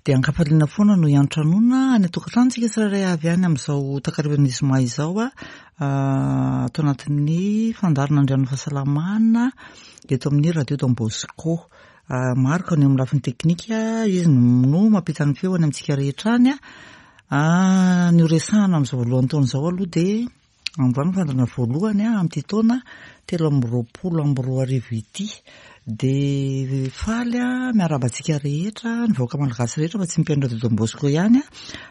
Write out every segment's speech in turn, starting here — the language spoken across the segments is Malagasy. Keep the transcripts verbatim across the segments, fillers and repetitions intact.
Dia ankafaliana foana no hiantranoana any an-tokantranontsika tsirairay avy any amin'izao takarivan'ny zoma izao a ato anatin'ny fandaharana Andrian'ny Fahasalamana eto amin'ny Radio Don Bosco. Marc no eo amin'ny lafiny teknika, izy no mampita ny feo any amintsika rehetra any. Ny ho resahana amin'izao voalohan'ny taona izao aloha dia androany fandaharana voalohany amin'ity taona telo amby roapolo amby roa arivo ity. Dia faly a miarahaba antsika rehetra, ny vahoaka malagasy rehetra fa tsy ny mpihaino Radio Don Bosco ihany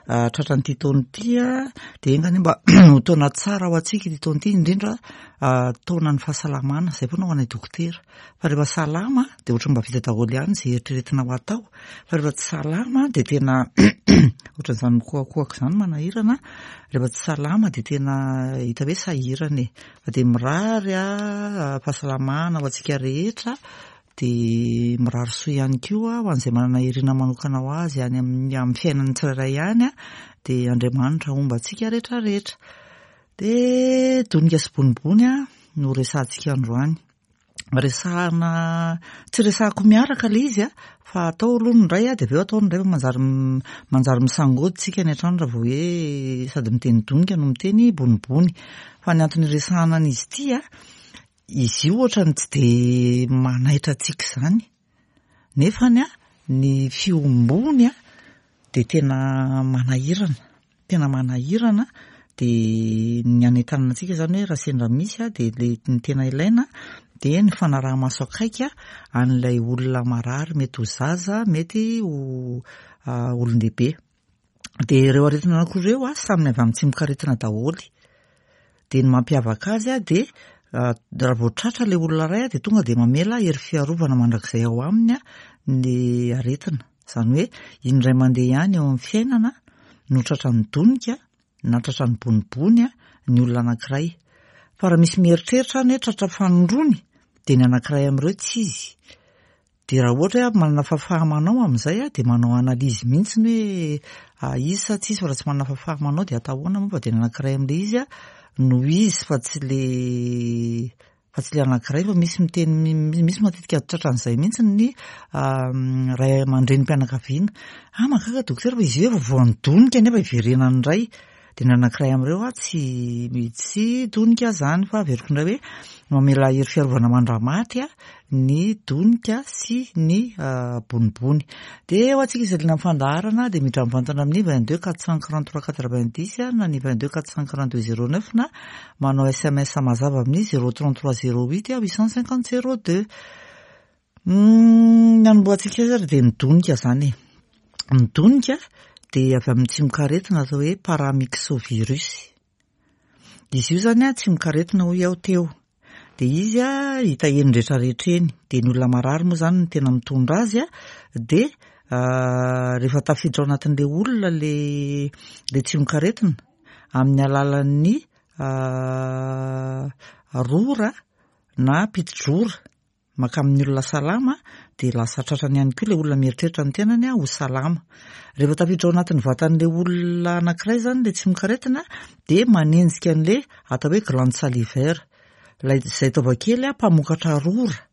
a tratran'ity taona ity a dia enga anie mba ho taona tsara ho antsika ity taona ity, indrindra taonan'ny fahasalamana. Izay foana ho anay dokotera, fa rehefa salama dia ohatran'ny mba vita daholo ihany izay eritreretina ho atao, fa rehefa tsy salama dia tena ohatran'izany mikohakohaka izany manahirana. Rehefa tsy salama dia tena hita hoe sahirana e. Fa dia mirary a fahasalamana ho antsika rehetra, dia mirary soa ihany koa ho an'izay manana irina manokana ho azy any amin'ny amin'ny fiainan'ny tsirairay any a dia Andriamanitra homba antsika rehetra rehetra. Dia donika sy bonibony a no resahantsika androany. Resahana, tsy resahako miaraka ilay izy a fa atao aloha ny iray a dia avy eo atao ny iray, fa manjary manjary misangody tsika any an-trano raha vao hoe sady miteny donika no miteny bonibony. Fa ny antony iresahana an'izy ity a, izy io ohatrany tsy dia manaitra antsika izany, nefany a ny fiombony a dia tena manahirana, tena manahirana. Dia ny anentanana antsika izany hoe raha sendra misy a dia le ny tena ilaina dia ny fanaraha-maso akaiky an'ilay olona marary, mety ho zaza, mety ho olon-dehibe. Dia ireo aretina anankiroa ireo a samy avy amin'ny tsimokaretina daholo. Dia ny mampiavaka azy a dia raha vao tratra ilay olona iray a dia tonga dia mamela hery fiarovana mandrakizay ao aminy a ny aretina. Izany hoe indray mandeha ihany eo amin'ny fiainana no tratran'ny donika na tratran'ny bonibony a ny olona anankiray. Fa raha misy mieritreritra any hoe tratra fanindroany dia ny anankiray amin'ireo tsy izy. Dia raha ohatra hoe manana fahafaha-manao amin'izay a dia manao analyse mihitsy ny hoe izy sa tsy izy, fa raha tsy manana fahafaha-manao dia atao ahoana moa fa dia ny anankiray amin'ilay izy a no izy fa tsy le fa tsy le anankiray. Fa misy miteny, misy matetika tratran'izay mihitsy ny ray aman-drenim-pianakaviana. Ah, mahagaga dokotera fa izy io efa voan'ny donika nefa iverenany indray. Dia ny anankiray amin'ireo a tsy tsy donika izany, fa averiko indray hoe mamela hery fiarovana mandra-maty a ny donika sy ny bonibony. Dia ho antsika izay liana amin'ny fandaharana dia miditra mivantana amin'ny vingt deux quatre cent quarante trois quatre vingt dix na ny vingt deux quatre cent quarante deux zéro neuf, na manao S M S mazava amin'ny zéro trente trois zéro huit huit cent cinquante zéro deux. Ny anombohantsika azy ary dia ny donika izany e. Ny donika dia avy amin'ny tsimokaretina atao hoe paramyxovirus. Izy io zany a tsimokaretina hoy aho teo. Dia izy a hita eny rehetrarehetra eny. Dia ny olona marary moa zany no tena mitondra azy a dia rehefa tafiditra ao anatin'ilay olona le le tsimokaretina amin'ny alalan'ny rora na piti-drora maka amin'ny olona salama, dia lasa tratrany ihany koa ilay olona mieritreritra ny tenany ho salama. Rehefa tafiditra ao anatin'ny vatan'ilay olona anankiray zany ilay tsimokaretina dia manenjika an'ilay atao hoe glande salivaire, ilay izay taova kely a mpamokatra rora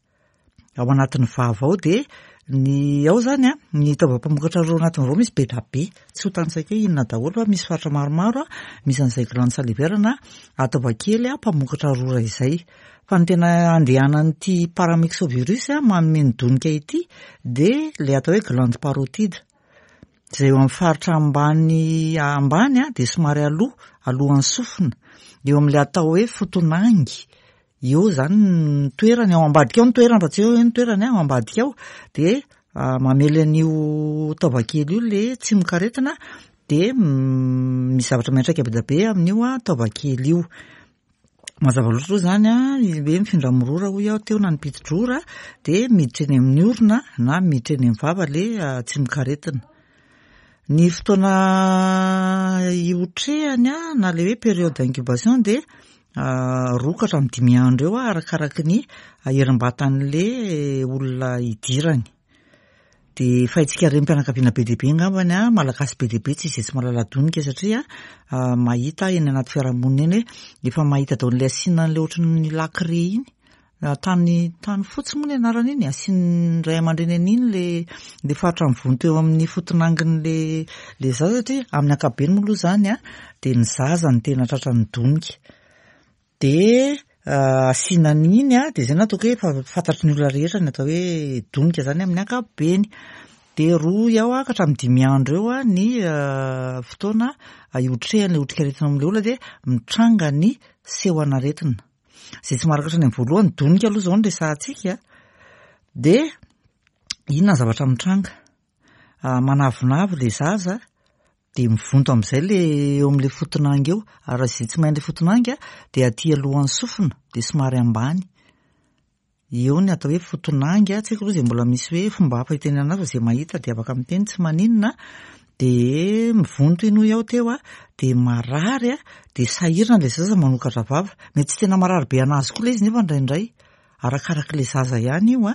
ao anatin'ny vava ao. Dia ny ao zany a ny taova mpamokatra rora ao anatin'ny vava misy be da be, tsy ho tanisaiko hoe inona daholo, fa misy faritra maromaro a misy an'izay glande salivaire na taova kely a mpamokatra rora izay. Fa ny tena andehanan'ity paramyxovirus a manome ny donika ity dia ilay atao hoe glande parotide, izay eo amin'ny faritra ambany ambany a dia somary aloha alohan'ny sofina, eo amin'ilay atao hoe fotonangy eo zany ny toerany, ao ambadika ao ny toerany, fa tsy eo ny toerany ao ambadika ao. Dia mamely an'io taovakely io le tsimokaretina, dia misy zavatra miantraika be dia be amin'io a taovakely io. Mazava loatra aloha zany a hoe mifindra mirora hoy aho teo na ny piti-drora, dia miditra eny amin'ny orona na miditra eny amin'ny vava le tsimokaretina. Ny fotoana iotrehany a na le hoe période d'incubation dia roa ka hatramin'ny dimy andro eo a arakaraky ny herim-batan'le olona idirany. Dia efa haintsika renim-pianakaviana be dia be angambany a malagasy be dia be tsy izay tsy mahalala donika, satria mahita eny anaty fiarahamonina eny hoe efa mahita daholo ilay asiana an'ilay ohatran'ny lakre iny. Tany tany fotsy moa ny anarana iny, asian'ny ray aman-dreny an'iny le le faritra mivonto eo amin'ny fotonangin'le le zaza, satria amin'ny ankapobeny moa aloha zany a de ny zaza no tena tratran'ny donika. De asiana an'iny a, de zay no ataoko hoe efa fantatry ny olona rehetra ny atao hoe donika zany amin'ny ankapobeny. De roa eo a ka hatramin'ny dimy andro eo a ny fotoana iotrehan'ilay otrikaretina amin'ilay olona, de mitranga ny seho an'aretina. Zay tsy maharaka hatrany amin'ny voalohany, donika aloha zao no resahantsika. De inona ny zavatra mitranga? Manavinavy le zaza, de mivonto amin'izay le eo amin'le fotonangy eo, ary raha izay tsy mahay an'le fotonangy a, de aty alohan'ny sofina, de somary ambany. Eo ny atao hoe fotonangy a, tsy haiko aloha zay mbola misy hoe fomba hafa hitenenana azy fa zay mahita de afaka miteny, tsy maninona. De mivonto iny hoy aho teo a, de marary a, de sahirana le zaza manokatra vava. Mety tsy tena marary be anazy koa le izy nefa indraindray, arakarak'le zaza ihany io a,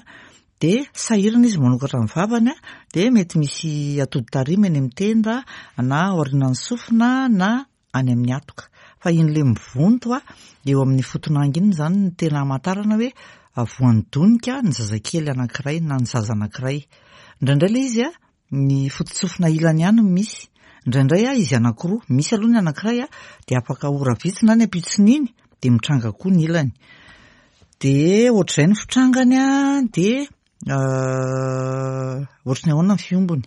de sahirana izy manokatra ny vavany a, de mety misy atody tarimo eny amin'ny tenda na aorianan'ny sofina na any amin'ny hatoka. Fa iny le mivonto a eo amin'ny fotonangy iny zany no tena hamantarana hoe voan'ny donika ny zazakely anankiray na ny zaza anankiray. Indraindray le izy a, ny fototsofina ilany ihany no misy, indraindray a izy anankiroa, misy aloha ny anankiray a, de afaka ora vitsy na ny ampitson'iny de mitranga koa ny ilany. De ohatr'izay ny fitrangany a, de ohatry ny ahoana ny fiombony.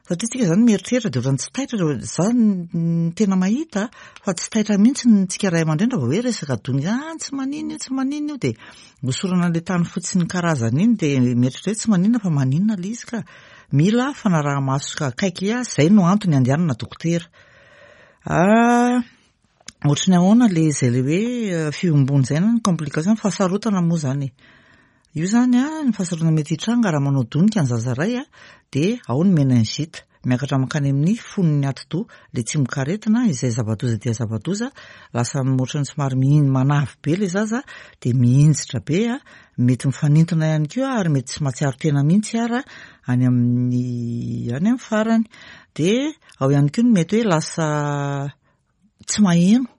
Satria tsika zany mieritreritra de ohatran'ny tsy taitra, za ny tena mahita fa tsy taitra mihitsy ny tsika ray aman-dreny raha vao hoe resaka donika, ah tsy maninona io, tsy maninona io, de hosorana an'le tany fotsy ny karazany iny, de mieritreritra hoe tsy maninona, fa maninona le izy ka. Mila fanaraha-maso akaiky a, zay no antony andehanana dokotera. Ah, ohatry ny ahoana le zay le hoe fiombony zay na ny complication, fahasarotana moa zany e. Io zany a, ny fahasarotana mety hitranga raha manao donika ny zaza ray a, de ao ny méningite, miakatra mankany amin'ny fonony atidoha, le tsimokaretina izay zava-doza dia zava-doza, lasa ohatran'ny somary mihiny manavy be le zaza, de mihinjitra be a, mety mifanintona ihany koa ary mety tsy mahatsiaro tena mihitsy ara any amin'ny any amin'ny farany. De ao ihany koa ny mety hoe lasa tsy maheno,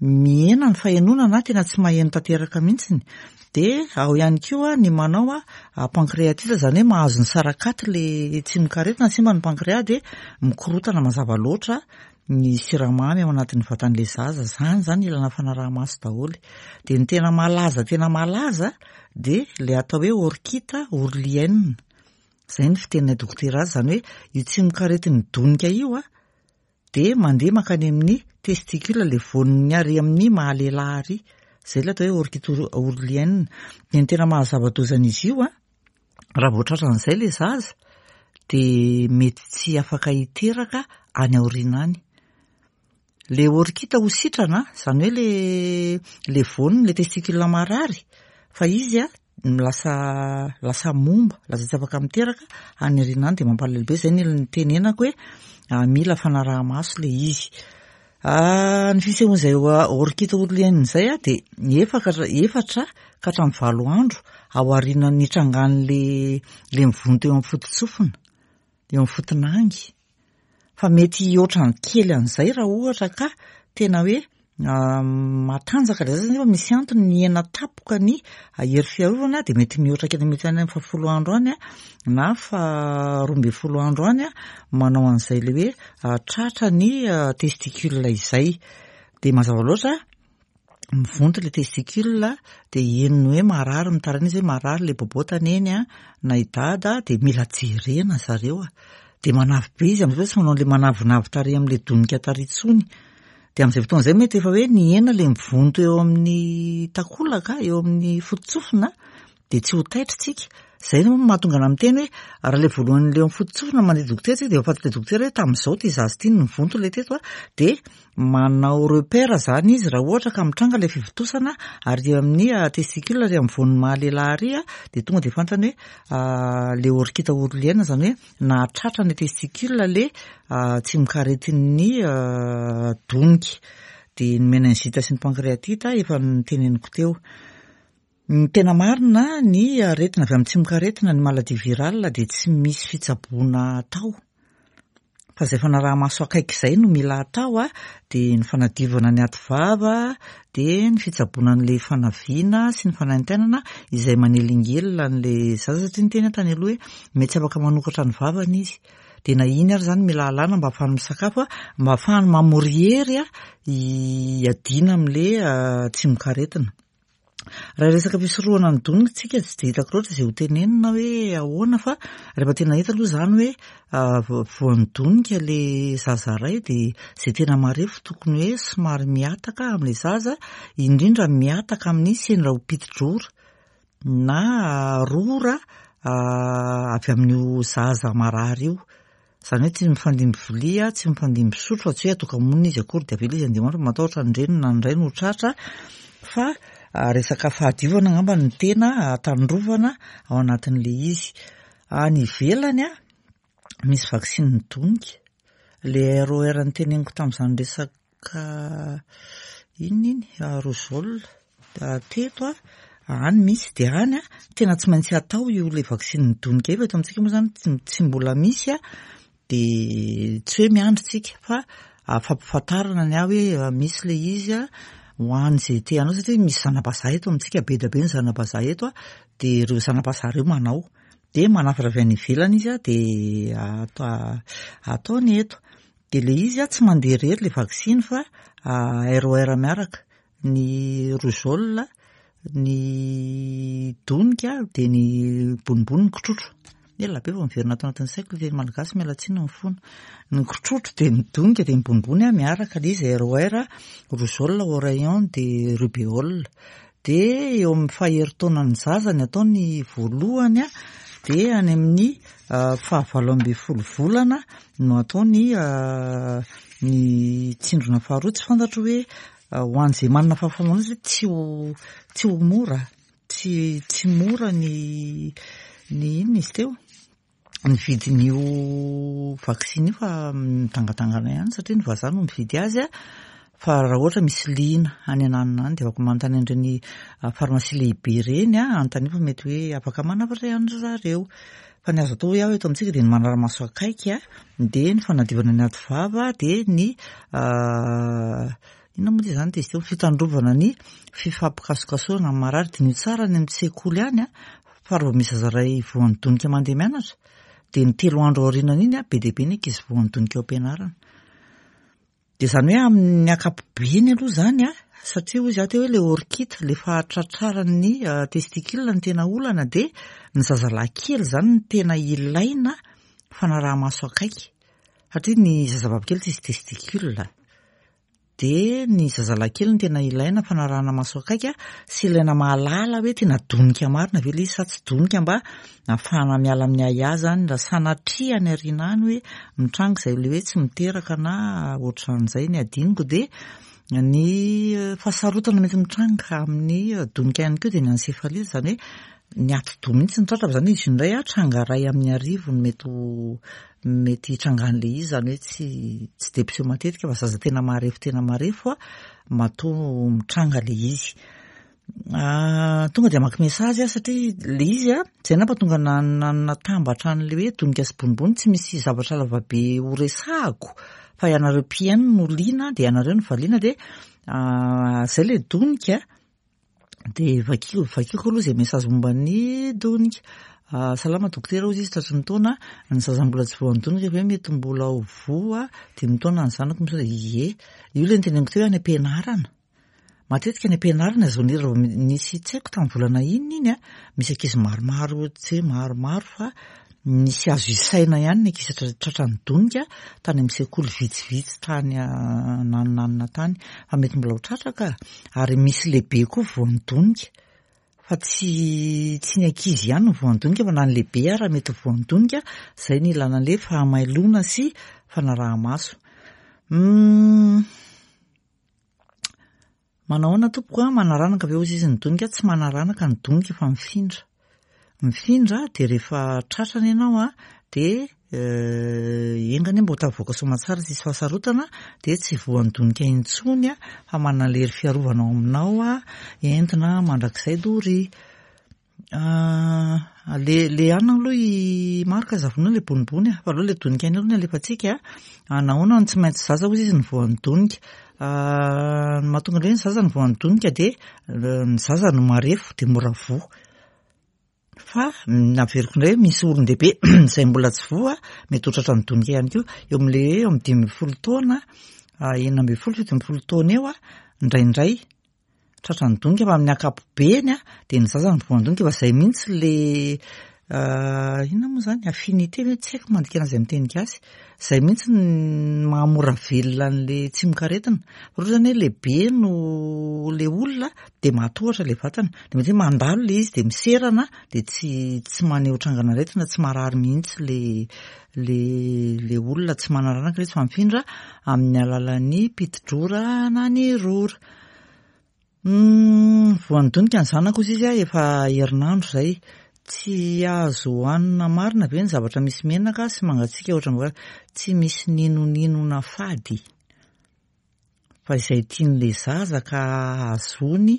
mihena ny fahenoana na tena tsy maheno tanteraka mihitsiny. De ao ihany koa ny manao a pancréatite, zany hoe mahazo ny sarakaty le tsimokaretina, simba ny pancréas de mikorotana mazava loatra ny siramamy ao anatin'ny vatan'le zaza. Zany zany ilana fanaraha-maso daholo. De ny tena malaza tena malaza de le atao hoe orchite ourlienne, zay ny fiteninay dokotera azy, zany hoe io tsimokaretin'ny donika io a, de mandeha mankany amin'ny testicule, le voaniny ary amin'ny mahalehilahy ary, zay le atao hoe orchite ourlienne. De ny tena mahazava-doza an'izy io a, raha vao tratran'izay le zaza de mety tsy afaka hiteraka any aoriana any. Le orchite ho sitrana, zany hoe le le voaniny, le testicule marary, fa izy a lasa lasa momba, lasa tsy afaka miteraka any aoriana any, de mampalahelo be. Zay ny nitenenako hoe mila fanaraha-maso le izy. Ny fisehoan'izay orchite ourlienne zay a, de efatra efatra ka hatramin'ny valo andro ao aorianan'ny nitrangan'le le mivonto eo amin'ny fototsofina, eo amin'ny fotonangy. Fa mety hihoatra kely an'izay raha ohatra ka tena hoe matanjaka le zaza nefa misy antony mihena tampoka ny hery fiarovana, de mety mihoatra kely, mety any amin'ny fahafolo andro any a na faharoa ambin'ny folo andro any a manao an'izay le hoe tratra ny testicule izay. De mazava loatra mivonto le testicule, de henony hoe marary, mitaraina izy hoe marary le bobotany eny a na i dada, de mila jerena zareo a. De manavy be izy am'izay, tsy manao an'le manavinavy tarehy amin'le donika tarehy intsony. De amin'izay fotoana izay mety efa hoe nihena le mivonto eo amin'ny takolaka, eo amin'ny fototsofina, de tsy ho taitra tsika. Zay no mahatonga ana miteny hoe raha le voalohany le eo amin'ny fototsofina mandeha dokotera tsika, de efa fantatry dokotera hoe tamin'izao ty zaza ty no nivonto le teto a, de manao repère zany izy raha ohatra ka mitranga le fivontosana ary amin'ny testicule ary amin'ny voan'ny mahalehilahy ary a, de tonga de fantany hoe le orchite ourlienne, zany hoe nahatratra ny testicule le tsimokaretin'ny donika. De ny méningite sy ny pancréatite efa niteneniko teo. Ny tena marina, ny aretina avy amin'ny tsimokaretina, ny maladie virale, de tsy misy fitsaboana atao. Fa izay fanaraha-maso akaiky izay no mila atao a, dia ny fanadiovana ny aty vava, dia ny fitsaboana an'ilay fanaviana sy ny fanaintainana izay manelingelina an'ilay zaza, satria niteny aho tany aloha hoe mety tsy afaka manokatra ny vavany izy. Dia na iny ary izany mila alàna mba ahafahany misakafo, mba ahafahany mamory hery hiadiana amin'ilay tsimokaretina. Raha resaka fisorohana ny donika tsika tsy dia hitako loatra izay ho tenenina hoe ahoana, fa rehefa tena hita aloha izany hoe voan'ny donika ilay zaza iray, dia izay tena marefo tokony hoe somary mihataka amin'ilay zaza, indrindra mihataka amin'ny sendra ho piti-drora na rora avy amin'io zaza marary io. Izany hoe tsy mifandimby vilia, tsy mifandimby sotro, fa tsy hoe atoka-monina izy akory dia avela izy handeha hoandro, matahotra ny reniny na ny rainy ho tratra, fa resaka fahadiovana angamba no tena tandrovana ao anatin'ilay izy. Any ivelany a, misy vaksiny donika, ilay R O R noteneniko tamin'izany resaka inona iny, rougeole teto a, any misy, dia any a, tena tsy maintsy atao io ilay vaksiny donika io, fa eto amintsika moa izany tsy mbola misy a, dia tsy hoe miandry tsika fa fampifantarana ny ahy hoe misy ilay izy a, ho an'izay te hanao, satria misy zana-bazaha eto amintsika, be dia be ny zana-bazaha eto a, dia ireo zana-bazaha ireo manao, dia manafatra avy any ivelany izy a, dia ataony eto. Dia ilay izy a, tsy mandeha irery ilay vaksiny fa R O R miaraka, ny rougeole, ny donika, dia ny bonibony, ny kitrotro. Ela be vao miverina ato anatin'ny saiko ilay teny malagasy, miala tsiny ny fona. Ny kitrotro dia ny donika dia ny bonibony a, miaraka ilay izy R O R, rougeole, oreillon, dia rubéole. Dia eo amin'ny faherin-taonan'ny zaza ny atao ny voalohany a, dia any amin'ny fahavalo ambin'ny folo volana no atao ny, ny tsindrona faharoa. Tsy fantatro hoe ho an'izay manana fahafahana satria tsy ho, tsy ho mora, tsy, tsy mora ny, ny inona izy teo, ny vidin'io vaksiny io, fa midangadangana ihany satria ny vazaha no mividy azy a. Fa raha ohatra misy liana any ananona any dia afaka manontany an'ireny farmasia lehibe ireny a, anontany fa mety hoe afaka manafatra ihany ry zareo. Fa ny azo atao hoe aho eto amintsika dia ny manara-maso akaiky a, dia ny fanadiovana ny aty vava, dia ny inona moa izany dia izy teo, fitandrovana ny fifampikasokasohana amin'ny marary. Diniho tsara any amin'ny sekoly any a, fa raha vao misy zaza iray voan'ny donika mandeha mianatra, dia ny telo andro aorianan'iny a, be dia be ny ankizy voan'ny donika ao am-pianarana. Dia izany hoe amin'ny ankapobeny aloha izany a, satria hoy izaho teo hoe ilay orchite, ilay fahatratraran'ny testicule no tena olana, dia ny zazalahy kely izany no tena ilaina fanaraha-maso akaiky, satria ny zazavavy kely tsisy testicule. Dia ny zazalahy kely no tena ilaina fanarahana maso akaiky sy ilaina mahalala hoe tena donika marina ve ilay izy sa tsy donika, mba ahafahana miala amin'ny ahiahy izany raha sanatria any aoriana any hoe mitranga izay ilay hoe tsy miteraka na ohatran'izay ny adinoko. Dia ny fahasarotana mety mitranga amin'ny donika ihany koa dia ny encéphalite, izany hoe ny atidoha mihitsy ny tratra, fa izany hoe izy indray a, tranga iray amin'ny arivo no mety ho, mety hitrangan'ilay izy, izany hoe tsy, tsy dia mpiseho matetika fa zaza tena marefo tena marefo a, matoa mitranga ilay izy. Tonga dia hamaky message aho satria ilay izy a, izay nampatonga na-, na-, natambatra an'ilay hoe donika sy bonibony, tsy misy zavatra lavabe ho resahako, fa ianareo mpihaino no liana, dia ianareo no valiana, dia izay ilay donika. Dia vakiko, vakiko aloha izay message momba ny donika. Salama dokotera, hoy izy, tratry ny taona, ny zaza mbola tsy voan'ny donika ve mety mbola ho voa dimy taona ny zanako? Misaotra. Ie, io ilay noteneniko teo hoe any am-pianarana. Matetika any am-pianarana izao ny raha vao nisy, tsy haiko tamin'ny volana inona iny a, misy ankizy maromaro, tsy hoe maromaro fa nisy azo isaina ihany ny ankizy tratra-, tratran'ny donika tany amin'ny sekoly vitsivitsy tany nanonanona tany, fa mety mbola ho tratra ka. Ary misy lehibe koa voan'ny donika, fa tsy, tsy ny ankizy ihany no voan'ny donika fa na ny lehibe ara mety ho voan'ny donika. Izay ny ilana an'ilay fahamailona sy fanaraha-maso. Hmm. Manao ahoana tompoko a? Manaranaka ve hozy izy ny donika? Tsy manaranaka ny donika fa mifindra. Mifindra dia rehefa tratrany ianao a, dia enga anie mba ho tafavoaka soamantsara tsisy fahasarotana, dia tsy voan'ny donika intsony a, fa manana lery fiarovana ao aminao a, entina mandrakizay dory. Le le anona aloha i Marc zavona le bonibony fa aloha le donika ihany aloha no alefantsika. Nahoana no tsy maintsy zaza hozy izy no voan'ny donika? Ny mahatonga an'ilay hoe ny zaza no voan'ny donika dia ny zaza no marefo dia mora voa. Fa naveriko indray hoe misy olon-dehibe izay mbola tsy voa mety ho tratran'ny donika ihany koa. Eo amin'ilay eo amin'ny dimy ambin'ny folo taona, enina ambin'ny folo, fito ambin'ny folo taona eo indraindray tratran'ny donika, fa amin'ny ankapobeny dia ny zaza no voan'ny donika, fa izay mihitsy le inona moa izany affinité ve, tsy haiko mandika an'izay amin'ny teny gasy. Izay mihitsy ny mahamora velona an'ilay tsimokaretina. Fa ohatra izany hoe lehibe no le olona dia mahatohatra ilay vatana, dia mety hoe mandalo ilay izy dia miserana dia tsy tsy maneho trangan'aretina, tsy marary mihitsy le le le olona, tsy manana ilay izy fa mifindra amin'ny alalan'ny piti-drora na ny rora. Voan'ny donika ny zanako hozy izy efa herinandro izay. Tsy azo hohanina marina ve ny zavatra misy menaka sy mangatsiaka ohatra ny tsy misy ninoninona fady. Fa izay tian'ilay zaza ka ahazoany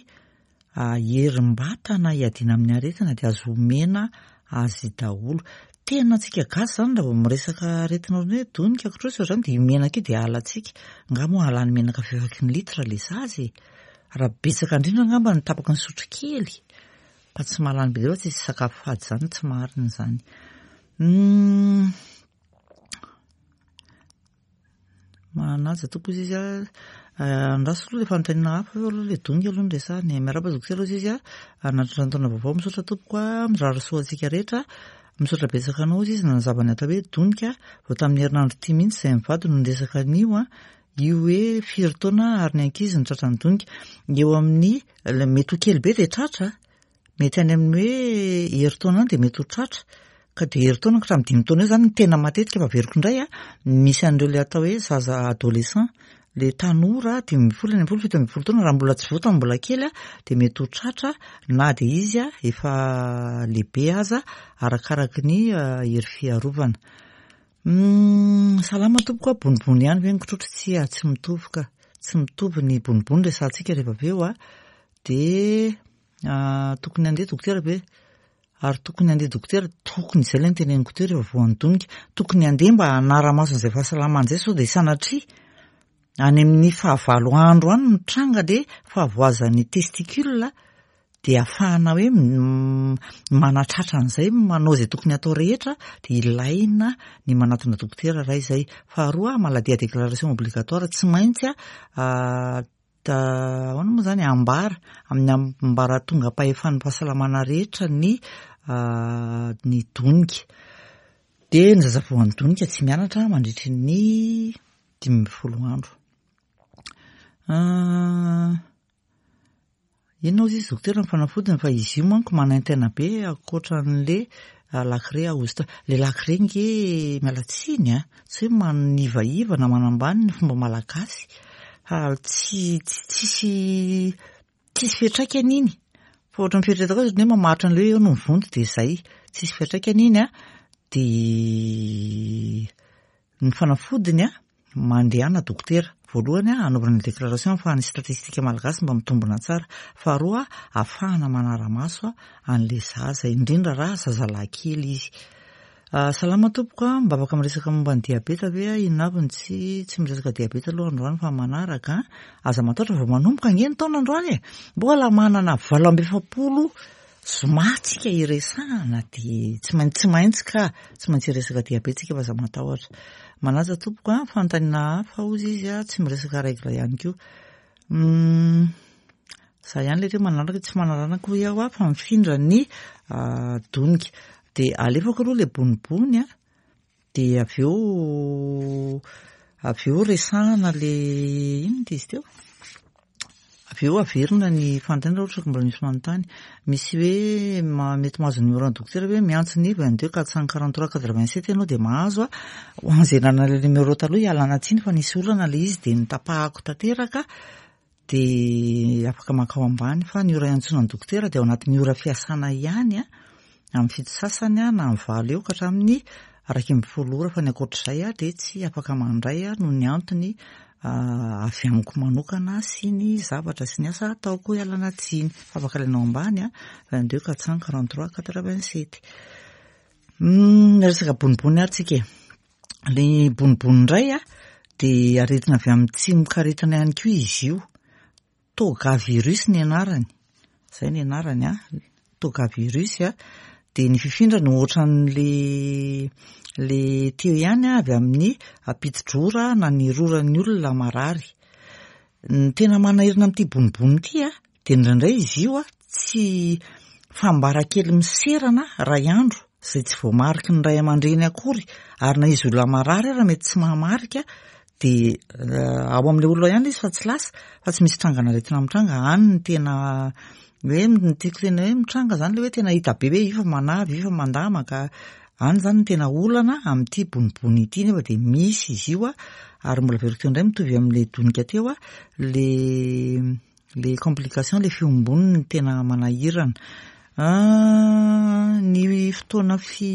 herim-batana hiadiana amin'ny aretina dia azo omena azy daholo. Tena antsika gasy izany raha vao miresaka aretina ohatran'ny hoe donika, kitrosy ohatr'izany dia io menaka io dia halantsika. Angaha moa halany menaka fifaky ny litre ilay zaza e? Raha betsaka indrindra angamba ny tapaky ny sotrokely. Fa tsy mahalany be dia fa tsisy sakafo fady izany, tsy marina izany. Manaja tompoko izy izy andraso aloha ilay fanontaniana hafa eo aloha ilay donika aloha no resahana e. Miarahaba dokotera hozy izy anatitra ny taona vaovao, misaotra tompoko a, mirary soa antsika rehetra. Misaotra betsaka anao hozy izy nanazava ny atao hoe donika. Vao tamin'ny herinandro ity mihitsy izay mivady no niresaka an'io a, io hoe firy taona ary ny ankizy no tratran'ny donika. Eo amin'ny mety ho kely be dia tratra, mety any amin'ny hoe herintaona any dia mety ho tratra. Ka dia herintaona ka hatramin'ny dimy taona eo izany no tena matetika, fa averiko indray a, misy an'ireo ilay atao hoe zaza adolescent, le tanora dimy ambin'ny folo, enina ambin'ny folo, fito ambin'ny folo taona, raha mbola tsy voa tamin'ny mbola kely a, dia mety ho tratra na dia izy a efa lehibe aza, arakaraky ny hery fiarovana. Salama tompoko a, bonibony ihany ve ny kitrotro? Tsia, tsy mitovy ka. Tsy mitovy ny bonibony resahantsika rehefa avy eo a. Dia tokony handeha dokotera ve? Ary tokony handeha dokotera, tokony izay ilay noteneniko teo rehefa voan'ny donika, tokony handeha mba hanara-maso an'izay fahasalamana izay sao dia sanatria any amin'ny fahavalo andro any mitranga le fahavoazan'ny testicule dia ahafahana hoe manatratra an'izay, manao izay tokony atao rehetra, dia ilaina ny manatona dokotera raha izay. Faharoa, maladie à déclaration obligatoire, tsy maintsy ahoana moa izany ambara amin'ny ambaratongam-pahefan'ny fahasalamana rehetra ny ny donika. Dia ny zaza voan'ny donika tsy mianatra mandritry ny dimy ambin'ny folo andro. Inona hozy izy dokotera ny fanafodiny, fa izy io manko manaintaina be ankoatran'le lakre ahosotra. Le lakre nge miala tsiny a, tsy hoe manivaiva na manambany ny fomba malagasy, fa tsy tsisy tsisy fiantraikany iny. Fa ohatran'ny fieritreretako azy ohatran'ny hoe mamaritra an'ilay hoe eo no mivonto dia izay. Tsisy fiantraikany iny a, dia ny fanafodiny a, mandehana dokotera. Voalohany a, anaovana ny déclaration ahafahan'ny statistika malagasy mba mitombina tsara. Faharoa, ahafahana manara-maso an'ilay zaza, indrindra raha zazalahy kely izy. Salama tompoko a, mba afaka miresaka momba ny diabeta ve a? Inona avy ny tsy tsy miresaka diabeta aloha androany fa manaraka. Aza matahotra vao manomboka ange ny taona androany e. Mbola manana valo amby efapolo zoma tsika hiresahana dia tsy maintsy tsy maintsy ka tsy maintsy hiresaka diabeta tsika fa aza matahotra. Manaja tompoko a, fanontaniana hafa hozy izy a, tsy miresaka règle ihany koa. Za ihany ilay teo manaraka, tsy manaraka hoy aho a, fa mifindra ny donika. Dia alefako aloha ilay bonibony a, dia avy eo avy eo resahana ilay inona ity izy teo? Avy eo averina ny fanontaniana raha ohatra ka mbola misy manontany. Misy hoe mety mahazo numéro an'ny dokotera hoe miantso ny vingt-deux quatre cent quarante-trois quatre-vingt-sept ianao dia mahazo a. Ho an'izay nanana ilay numéro taloha ialana tsiny fa nisy olana ilay izy dia notapahako tanteraka, dia afaka mankao ambany. Fa ny ora iantsoana ny dokotera dia ao anatin'ny ora fiasana ihany a, amin'ny fito sasany a na amin'ny valo eo ka hatramin'ny iraika ambin'ny folo ora, fa ny ankoatr'izay a dia tsy afaka mandray a noho ny antony avy amiko manokana sy ny zavatra sy ny asa ataoko, ialana tsiny. Fa afaka alainao ambany a, vingt-deux quatre cent quarante-trois quatre-vingt-sept. Resaka bonibony ary tsika e. Le bonibony indray a dia aretina avy amin'ny tsimokaretina ihany koa izy io. Togavirus ny anarany. Izay ny anarany a, togavirus a. Dia ny fifindrany ohatran'le le teo ihany a, avy amin'ny ampitidrora na ny roran'ny olona marary. Ny tena manahirana amin'ity bonibony ity a, dia indraindray izy io a tsy fambara kely miserana ray andro izay tsy voamariky ny ray aman-dreny akory, ary na izy olona marary ara mety tsy mahamarika, dia ao amin'ilay olona ihany izy fa tsy lasa, fa tsy misy trangana aretina mitranga. Any ny tena hoe ny tiako tena hoe mitranga zany le hoe tena hita be hoe io fa manavy, io fa mandamaka. Any zany ny tena olana amin'ity bonibony ity, nefa dia misy izy io a, ary mbola averiko teo indray mitovy amin'ilay donika teo a, le le complication, le fiombony ny tena manahirana. Ny fotoana fi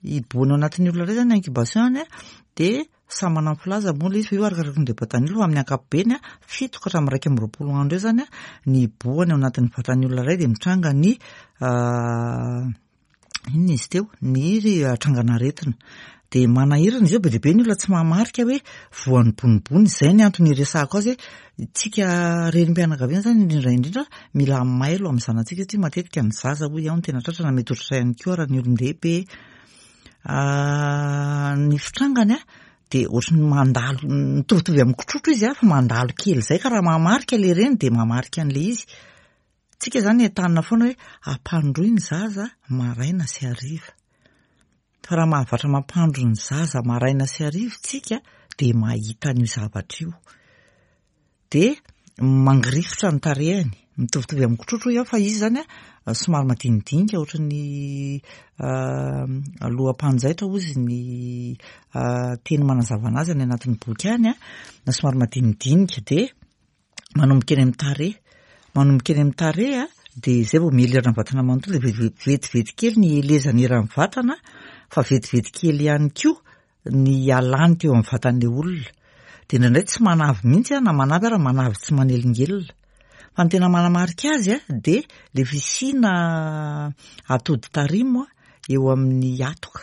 hiboana ao anatin'ny olona iray zany incubation any a, dia samy manana ny filaza moa ilay izy fa io arakaraka ny vatan'ny olona, fa amin'ny ankapobeny a fito ka hatramin'ny iraika amby roapolo andro eo zany a ny hibohany ao anatin'ny vatan'ny olona iray, dia mitranga ny inona izy teo, ny trangan'aretina. Dia manahirana izy io, be dia be ny olona tsy mahamarika hoe voan'ny bonibony. Izay ny antony iresahako azy hoe tsika renim-pianakaviana zany indrindra indrindra mila mailo amin'ny zanatsika, satria matetika ny zaza hoy aho no tena tratra, na mety ohatr'izay ihany koa raha ny olon-dehibe. Ny fitrangany a dia ohatry ny mandalo, mitovitovy amin'ny kitrotro izy a, fa mandalo kely izay, ka raha mahamarika ilay reny dia mahamarika an'ilay izy. Tsika zany entanina foana hoe ampandroy ny zaza maraina sy hariva. Fa raha mahavatra mampandro ny zaza maraina sy hariva tsika dia mahita an'io zavatra io. Dia mangirifotra ny tarehiny, mitovitovy amin'ny kitrotro hoy aho, fa izy zany a somary madinidinika ohatry ny loham-panjaitra hozy ny teny manazava anazy any anatin'ny boky any a, na somary madinidinika, dia manomboka eny amin'ny tarehy. Manomboka eny amin'ny tarehy a, dia izay vao miely eran'ny vatana manontolo, dia vetivety kely ny elezany eran'ny vatana, fa vetivety kely ihany koa ny ialany teo amin'ny vatan'ilay olona. Dia indraindray tsy manavy mihitsy a, na manavy ara manavy tsy manelingelina. Fa ny tena manamarika azy a dia le fisiana atody tarimo a eo amin'ny hatoka.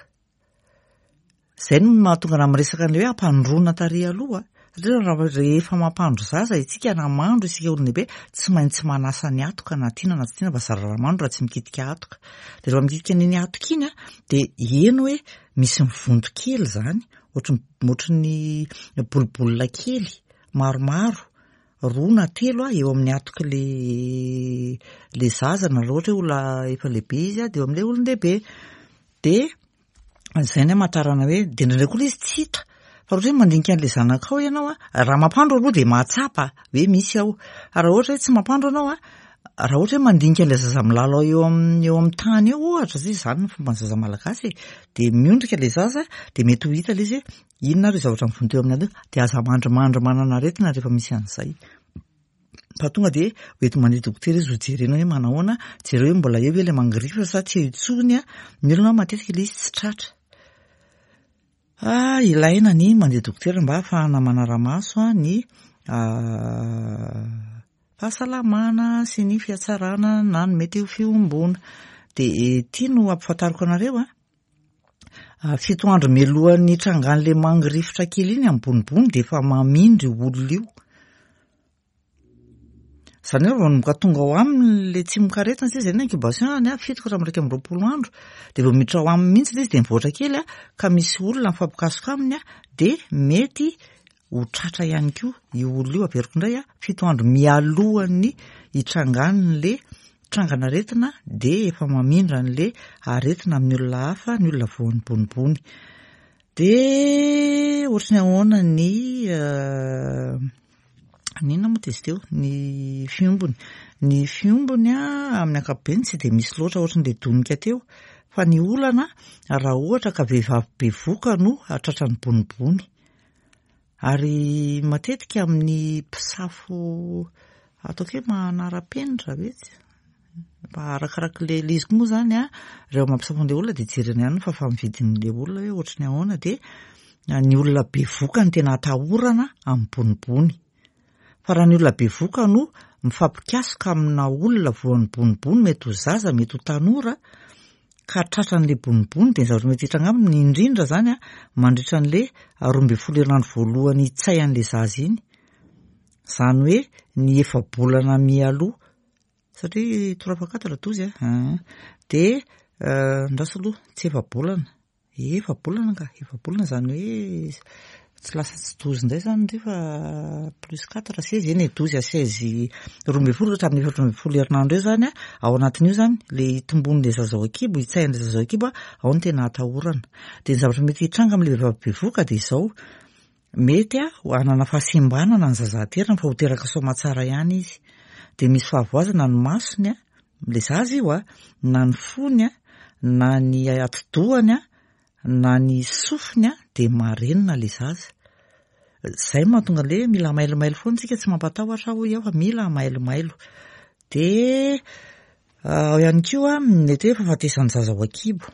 Izay no mahatonga raha miresaka an'ilay hoe ampandroana tarehy aloha, satria raha rehefa mampandro zaza isika na mandro isika olon-dehibe, tsy maintsy manasa ny hatoka na tiana na tsy tiana, fa zara raha mandro raha tsy mikitika hatoka. Dia rehefa mikitika an'iny hatoka iny a, dia heno hoe misy mivonto kely zany, ohatry ohatry ny bolibolina kely maromaro, roa na telo a eo amin'ny hatoky le le zaza, na raha ohatra hoe olona efa lehibe izy a, dia eo amin'ilay olon-dehibe. Dia izay ny hamantarana hoe, dia indraindray koa ilay izy tsy hita. Fa raha ohatra hoe mandinika an'ilay zanakao ianao a, raha mampandro aloha dia mahatsapa hoe misy ao. Fa raha ohatra hoe tsy mampandro ianao a, raha ohatra hoe mandinika an'ilay zaza milalao eo amin'ny eo amin'ny tany eo ohatra, satria izany ny fomban'ny zaza malagasy e, dia miondrika ilay zaza, dia mety ho hita ilay izy hoe inona ary io zavatra mivonto eo amin'ny eo, dia aza mandrimandry manana aretina rehefa misy an'izay. Fa tonga dia hoenti mandeha dokotera izy ho jerena hoe manahoana, jereo hoe mbola eo ve ilay mangirifotra sa tsy eo intsony a. Ny olona matetika ilay izy tsy tratra. Ah, ilaina ny mandeha dokotera mba ahafahana manara-maso a ny fahasalamana sy ny fihatsarana na ny mety ho fiombona. Dia ity no ampifantariko anareo a. Fito andro mialohan'ny trangan'ilay mangirifotra kely iny amin'ny bonibony dia efa mamindra io olona io. Izany hoe raha manomboka tonga ao aminy ilay tsimokaretina satria izay ny incubation any a, fito ka hatramin'ny iraika amby roapolo andro, dia vao miditra ao aminy mihitsy ilay izy dia mivoatra kely a, ka misy olona mifampikasoka aminy a, dia mety ho tratra ihany koa io olona io. Averiko indray a, fito andro mialohan'ny hitrangan'ilay trangan'aretina dia efa mamindra an'ilay aretina amin'ny olona hafa, ny olona voan'ny bonibony. Dia ohatry ny ahoana ny inona moa izy teo, ny fiombony. Ny fiombony a amin'ny ankapobeny tsy dia misy loatra ohatry ny donika teo, fa ny olana raha ohatra ka vehivavy bevoka no tratran'ny bonibony. Ary matetika amin'ny mpisafo ataoko hoe manara-penitra ve tsy? Fa arakaraka ilay ilay izy koa moa zany a, rehefa mampisafo an'ilay olona dia jerena ihany ny fahafaha-mividin'ilay olona hoe ohatry ny ahoana, dia ny olona bevoka no tena atahorana amin'ny bonibony. Fa raha ny olona bevoka no mifampikasoka amina olona voan'ny bonibony, mety ho zaza, mety ho tanora, ka tratran'le bonibony, dia ny zavatra mety hitranga aminy indrindra zany a mandritra an'le roa ambin'ny folo herinandro voalohany hitsay an'le zaza iny. Zany hoe ny efa-bolana mialoha, satria trois fois quatre douze a, dia andraso aloha, tsy efa-bolana, efa-bolana ka, efa-bolana zany hoe tsy lasa tsy douze indray zany ndry fa plus quatre, seize, eny e, douze à seize, roa ambin'ny folo hatramin'ny efatra ambin'ny folo herinandro eo zany a, ao anatin'io zany le hitomboan'le zaza ao an-kibo, hitsahin'le zaza ao an-kibo a, ao no tena atahorana. Dia ny zavatra mety hitranga amin'le vehivavy bevoka dia izao, mety a hanana fahasembanana ny zaza aterany fa ho teraka soamantsara ihany izy. Dia misy fahavoazana ny masony a, le zaza io a, na ny fony a, na ny atidohany a, na ny sofiny a, dia marenina le zaza. Zay mahatonga le mila mailomailo foana tsika, tsy mampatahotra hoy aho fa mila mailomailo. Dia ao ihany koa mety hoe fahafatesan'ny zaza ao an-kibo,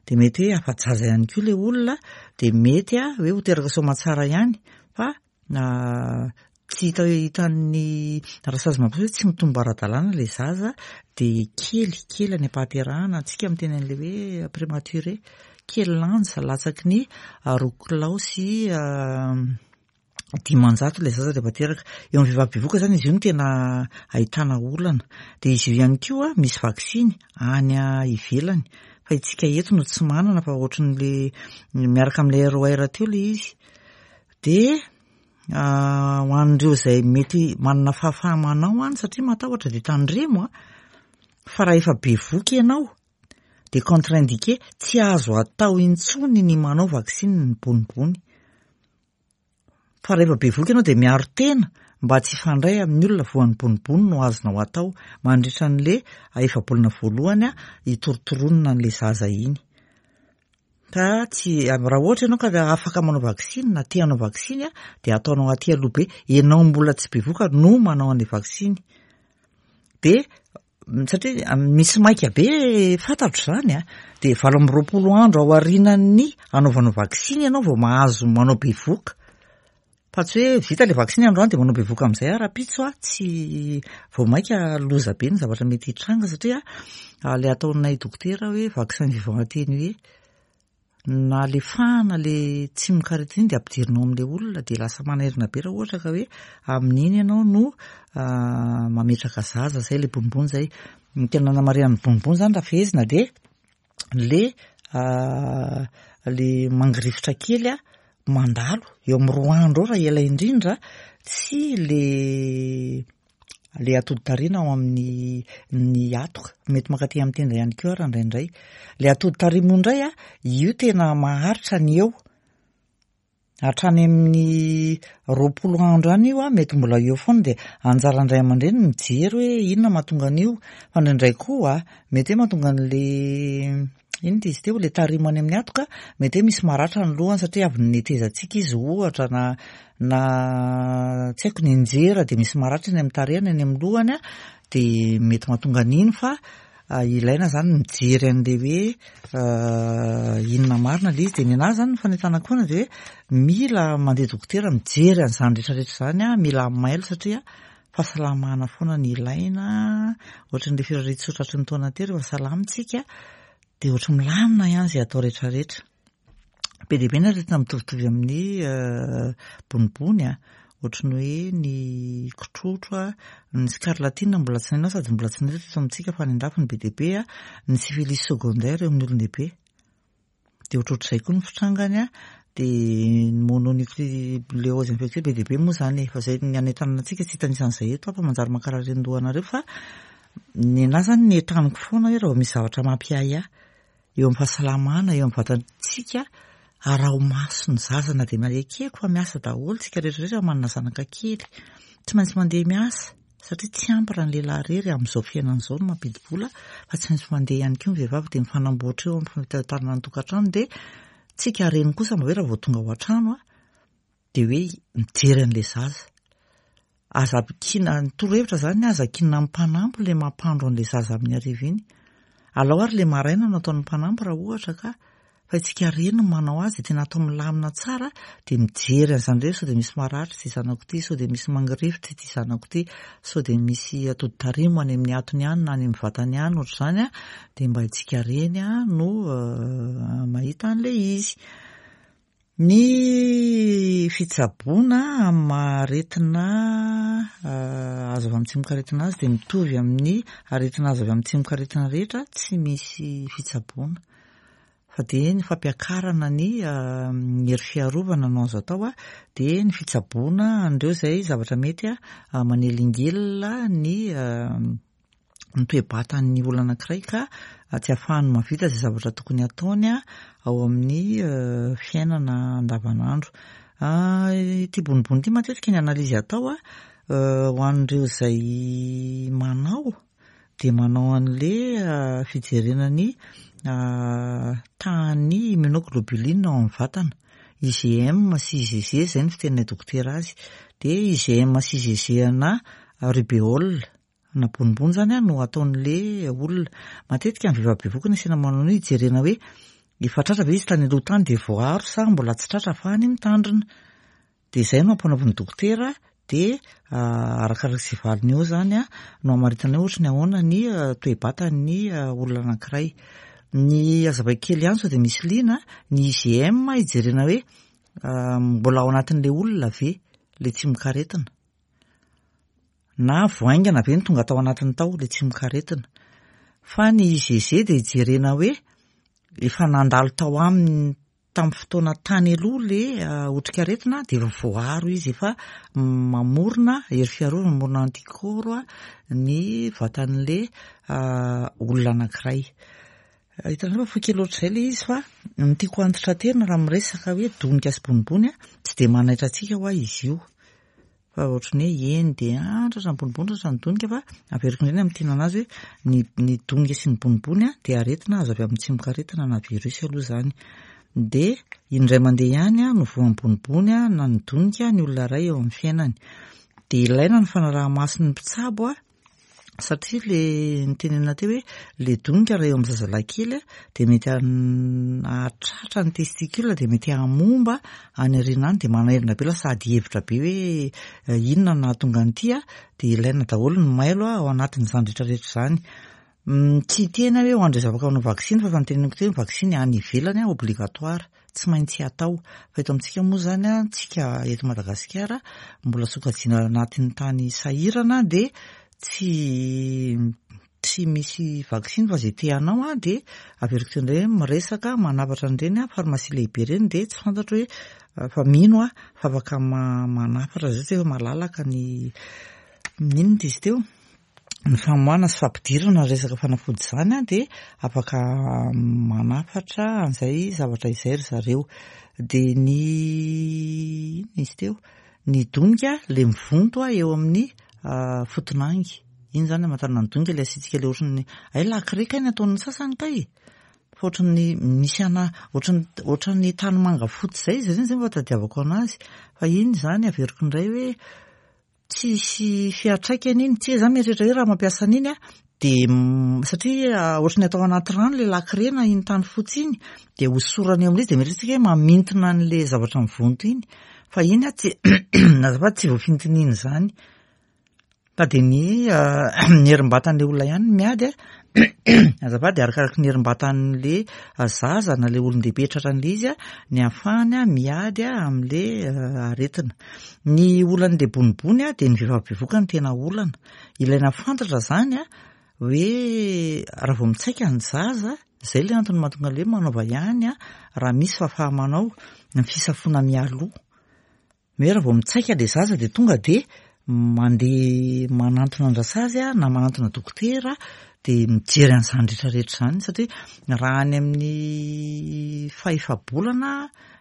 dia mety hoe afa-jaza ihany koa le olona, dia mety a hoe ho teraka soamantsara ihany fa tsy hita hitan'ny rasazy mampiseho hoe tsy mitombo ara-dalàna le zaza, dia kely kely any am-pahaterahana, antsika miteny an'le hoe prématuré, kely lanja latsaky ny roa kilao sy dimanjato ilay zaza rehefa teraka. Eo amin'ny vehivavy bevoka zany izy io no tena ahitana olana. Dia izy io ihany koa misy vaksiny any ivelany, fa itsika eto no tsy manana fa ohatran'le miaraka amin'ilay R O R teo ilay izy. Dia ho an'ireo izay mety manana fahafaha-manao any satria matahotra dia tandremo a, fa raha efa bevoka ianao dia contre-indiqué, tsy azo atao intsony ny manao vaksiny ny bonibony. Fa rehefa bevoka ianao dia miaro tena mba tsy hifandray amin'ny olona voan'ny bonibony no azonao atao mandritra an'le efa-bolana voalohany a hitorotoronina an'le zaza iny. Ka tsy, raha ohatra ianao ka afaka manao vaksiny na te hanao vaksiny a, dia ataonao aty aloha be, ianao mbola tsy bevoka no manao an'le vaksiny. Dia satria misy maika be fantatro zany a, dia valo amby roapolo andro ao aorianan'ny anaovanao vaksiny ianao vao mahazo manao bevoka. Fa tsy hoe vita le vaksiny androany dia manao bevoka amin'izay a rahampitso a, tsy vao maika loza be ny zavatra mety hitranga satria le ataonay dokotera hoe vaccin vivant atténué, na le fahana le tsimokaretina iny dia ampidirinao amin'le olona, dia lasa manairina be raha ohatra ka hoe amin'iny ianao no mametraka zaza. Zay le bonibony zay. Ny tena nanamarihan'ny bonibony zany raha fehezina dia le le mangirifotra kely a mandalo eo amin'ny roa andro eo raha ela indrindra, sy le le atody tarina ao amin'ny ny atoka, mety mankaty amin'ny tenda ihany koa raha indraindray. Le atody tarimo indray a, io tena maharitra ny eo hatrany amin'ny roapolo andro any io a, mety mbola eo foana, dia anjaran-dray aman-dreny mijery hoe inona mahatonga an'io. Fa indraindray koa mety hoe mahatonga an'le inona ty izy teo, le tarimo any amin'ny atoka, mety hoe misy maratra ny lohany satria avy netezantsika izy ohatra, na na tsy haiko nianjera dia misy maratra eny amin'ny tarehiny, eny amin'ny lohany a, dia mety mahatonga an'iny. Fa ilaina zany mijery an'le hoe inona marina le izy. Dia ny anahy zany ny fanentanako foana dia hoe mila mandeha dokotera mijery an'izany rehetrarehetra izany a, mila mailo satria fahasalamana foana ny ilaina. Ohatran'le firarian-tsoa tratry ny taona teo, rehefa salama tsika dia ohatry milamina ihany izay atao rehetrarehetra. Be dia be ny aretina mitovitovy amin'ny bonibony a, ohatry ny hoe ny kitrotro a, ny scarlatine mbola tsy nainao sady mbola tsy nahita teto amintsika fa any an-dafy ny be dia be a, ny syphilis secondaire eo amin'ny olon-dehibe. Dia ohatrohatr'izay koa ny fitrangany a, dia ny mononucléose infectieuse be dia be moa zany e, fa zay ny anentanana antsika tsy hitanisan'izay eto fa manjary mankarary an-doha anareo. Fa ny anahy zany ny entaniko foana hoe raha vao misy zavatra mampiahiahy eo amin'ny fahasalamana, eo amin'ny vatantsika, araho maso ny zaza na dia ekeko fa miasa daholo tsika rehetrarehetra manana zanaka kely, tsy maintsy mandeha miasa satria tsy ampy raha ny lehilahy irery amin'izao fiainana izao no mampidi-bola, fa tsy maintsy mandeha ihany koa ny vehivavy, dia mifanamboatra eo amin'ny fitantanana ny tokantrano. Dia tsika reny kosa mba hoe raha vao tonga ao an-trano a, dia hoe mijery an'ilay zaza. Aza ampikiana, ny torohevitra zany, aza ankinina amin'ny mpanampy le mampandro an'ilay zaza amin'ny hariva iny. Alao ary le maraina no ataon'ny mpanampy raha ohatra ka Fa isika reny no manao azy dia tena atao milamina tsara dia mijery an'izany indray sao dia misy maratra ity zanako ity, sao dia misy mangirifotra ity zanako ity, sao dia misy atody tarimo any amin'ny atony any na any amin'ny vatany any ohatr'izany dia mba isika reny no mahita an'ilay izy. Ny fitsaboana amin'ny maha aretina azo avy amin'ny tsimokaretina azy dia mitovy amin'ny aretina azo avy amin'ny tsimokaretina rehetra, tsy misy fitsaboana. Fa dia ny fampiakarana ny hery fiarovana no azo atao, dia ny fitsaboana an'ireo izay zavatra mety manelingelina ny ny toe-batan'ny olona anankiray ka tsy ahafahany mahavita izay zavatra tokony hataony ao amin'ny fiainana andavanandro. Ity bonibony ity matetika ny analyse atao ho an'ireo izay manao dia manao an'ilay fijerena ny tahan'ny immunoglobuline ao amin'ny vatana. I G M sy I G G izay ny fiteninay dokotera azy. Dia I G M sy I G G na rubéole na bonibony zany no ataon'le olona. Matetika ny vehivavy bevohoka no asiana manao an'io hijerena hoe efa tratra ve izy tany aloha tany dia voaaro sa mbola tsy tratra ahafahany mitandrina. Dia izay no ampanaovin'ny dokotera dia arakaraka izay valiny eo zany no hamaritana hoe ohatry ny ahoana ny toe-batan'ny olona anankiray. Ny hazavaiko kely ihany sao dia misy liana, ny I G M hijerena hoe mbola ao anatin'ilay olona ve ilay tsimokaretina na voaingana ve ny tonga tao anatiny tao ilay tsimokaretina. Fa ny I G G dia hijerena hoe efa nandalo tao aminy tamin'ny fotoana tany aloha ilay otrikaretina dia efa voaaro izy, efa mamorona hery fiarovana, mamorona anticorps ny vatan'ilay olona anankiray. Hitanareo fa fohy kely ohatr'izay ilay izy fa ny tiako hantitraterina raha miresaka hoe donika sy bonibony tsy dia manaitra antsika hoa izy io. Fa ohatran'ny hoe eny dia tratra ny bonibony, tratra ny donika, fa averiko indray ny amin'ny tiana anazy hoe ny, ny donika sy ny bonibony dia aretina azo avy amin'ny tsimokaretina na virus aloha izany. Dia indray mandeha ihany no voan'ny bonibony na ny donika ny olona iray eo amin'ny fiainany. Dia ilaina ny fanaraha-mason'ny mpitsabo satria le nitenenina teo hoe le donika raha eo amin'ny zazalahy kely dia mety hahatratra ny testicule dia mety hamomba any aoriana any, dia manairina be lasa ady hevitra be hoe inona no nahatonga an'ity, dia ilaina daholo ny mailo ao anatin'izany rehetrarehetra izany. Tsy hiteny hoe ho an'ireo zavatra manao vaksiny fa efa niteneniko teo ny vaksiny any ivelany obligatoire, tsy maintsy atao. Fa eto amintsika moa izany, tsika eto Madagasikara mbola sokajiana anatin'ny tany sahirana dia tsy tsy misy vaksiny fa izay te hanao dia averiko teo indray miresaka manafatra an'ireny farmasia lehibe ireny dia tsy fantatro hoe fa mino aho fa afaka manafatra izay tsy hoe malalaka ny inona izy teo ny famoahana sy fampidirana resaka fanafody izany dia afaka manafatra an'izay zavatra izay ry zareo. Dia ny inona izy teo ny donika ilay mivonto eo amin'ny fotonangy. Iny zany amantarana ny donika ilay asiantsika ilay ohatran'ny ay lakre kay ny ataon'ny sasany kay. Fa ohatran'ny misy ana ohatran'ny ohatran'ny tanimanga fotsy izay izy ireny izay mba tadiavako anazy. Fa iny zany averiko indray hoe tsisy fiantraikany iny. Tsika zany mieritreritra hoe raha mampiasa an'iny dia satria ohatran'ny atao anaty rano ilay lakre na iny tany fotsy iny dia hosorana eo amin'izy dia mieritreritra tsika hoe mamintina an'ilay zavatra mivonto iny. Fa iny tsy azafady tsy voafintin'iny izany. Fa dia ny ny herim-batan'ilay olona ihany no miady azafady arakaraky ny herim-batan'ilay zaza na ilay olon-dehibe tratran'ilay izy ny ahafahany miady amin'ilay aretina. Ny olan'ilay bonibony dia ny vehivavy bevohoka no tena olana. Ilaina fantatra izany hoe raha vao mitsaika ny zaza, izay ilay antony mahatonga ilay hoe manaova ihany raha misy fahafaha-manao ny fisafoana mialoha. Hoe raha vao mitsaika ilay zaza dia tonga dia mandeha manantona an-drasazy na manantona dokotera dia mijery an'izany rehetrarehetra izany satria raha any amin'ny fahefa-bolana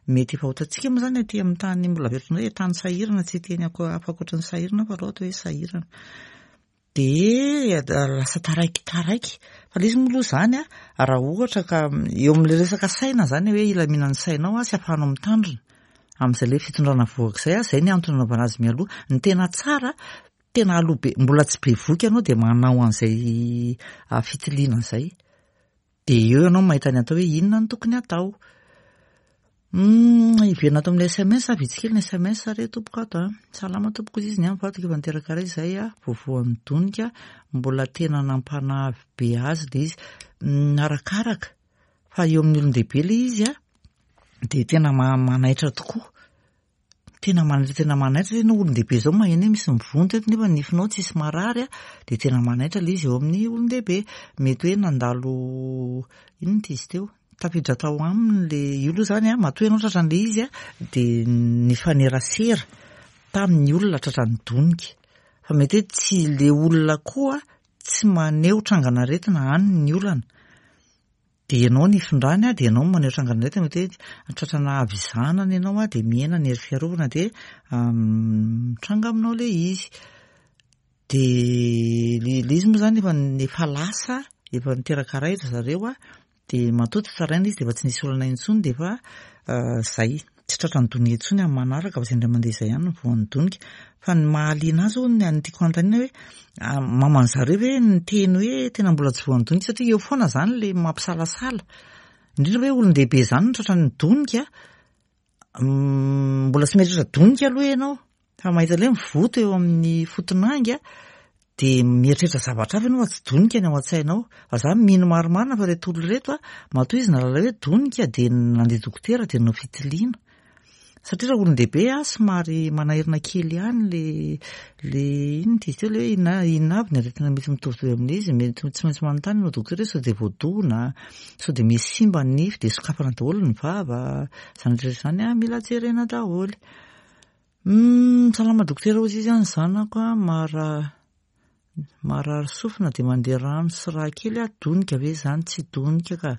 mety efa ho hitantsika moa izany aty amin'ny tany mbola averiko indray hoe tany sahirana, tsy hiteny hafa ankoatra ny sahirana fa aloha atao hoe sahirana. Dia lasa taraiky taraiky. Fa ilay izy moa aloha izany raha ohatra ka eo amin'ilay resaka saina izany hoe hilaminan'ny sainao sy ahafahanao mitandrina amin'izay ilay fitondrana vohoka izay, izay ny antony anaovana azy mialoha. Ny tena tsara, tena aloha be, mbola tsy bevohoka ianao dia manao an'izay fitiliana izay. Dia eo ianao mahita ny atao hoe inona no tokony hatao. Hiverina ato amin'ny S M S, vitsy kely ny S M S re tompoko ato a. Salama tompoko izy, ny amin'ny vadiko efa niteraka ray izay a, voavoan'ny donika, mbola tena nampanavy be azy le izy. Arakaraka fa eo amin'ny olon-dehibe le izy a, de tena manaitra tokoa. Tena manaitra, tena manaitra ianao olon-dehibe zao maheno hoe misy mivonto eto nefa nifinao tsisy marary a, de tena manaitra le izy eo amin'ny olon-dehibe. Mety hoe nandalo inona ty izy teo? Tafiditra tao aminy le io aloha zany a, matoa ianao tratran'le izy a, de nifanerasera tamin'ny olona tratran'ny donika. Fa mety hoe tsy le olona koa tsy maneho trangan'aretina any ny olana. De ianao nifindrany a, de ianao maneho trangan'aretina, mety hoe tratrana havizanana ianao a, de mihena ny hery fiarovana, de mitranga aminao le izy. De le izy moa zany efa efa lasa, efa niteraka ray ry zareo a, de matoa tsy tsaraina izy de efa tsy nisy olana intsony, de efa zay tsy tratran'ny donika intsony amin'ny manaraka, fa zay indray mandeha izay ihany no voan'ny donika. Fa ny mahaliana azy zao, ny tiako hanontaniana hoe maman'ny zareo ve niteny hoe tena mbola tsy voan'ny donika, satria eo foana zany le mampisalasala. Indrindra hoe olon-dehibe zany no tratran'ny donika, mbola tsy mieritreritra donika aloha ianao fa mahita le mivoto eo amin'ny fotonangy a, de mieritreritra zavatra hafa ianao fa tsy donika ny ao an-tsainao. Fa za mino marimarina fa reto olona reto a, matoa izy nahalala hoe donika de nandeha dokotera, de nanao fitiliana. Satria raha olon-dehibe a, somary manahirana kely ihany le le inona ty izy teo, le hoe inona inona avy ny aretina mety mitovitovy amin'izy, mety tsy maintsy manontany ianao dokotera hoe sao de voadona, sao de misy simba ny nify, de sokafana daholo ny vava, zany rehetra zany a mila jerena daholo. Salama dokotera hozy izy a, ny zanako a mara marary sofina de mandeha rano sy rà kely a, donika ve zany? Tsy donika ka.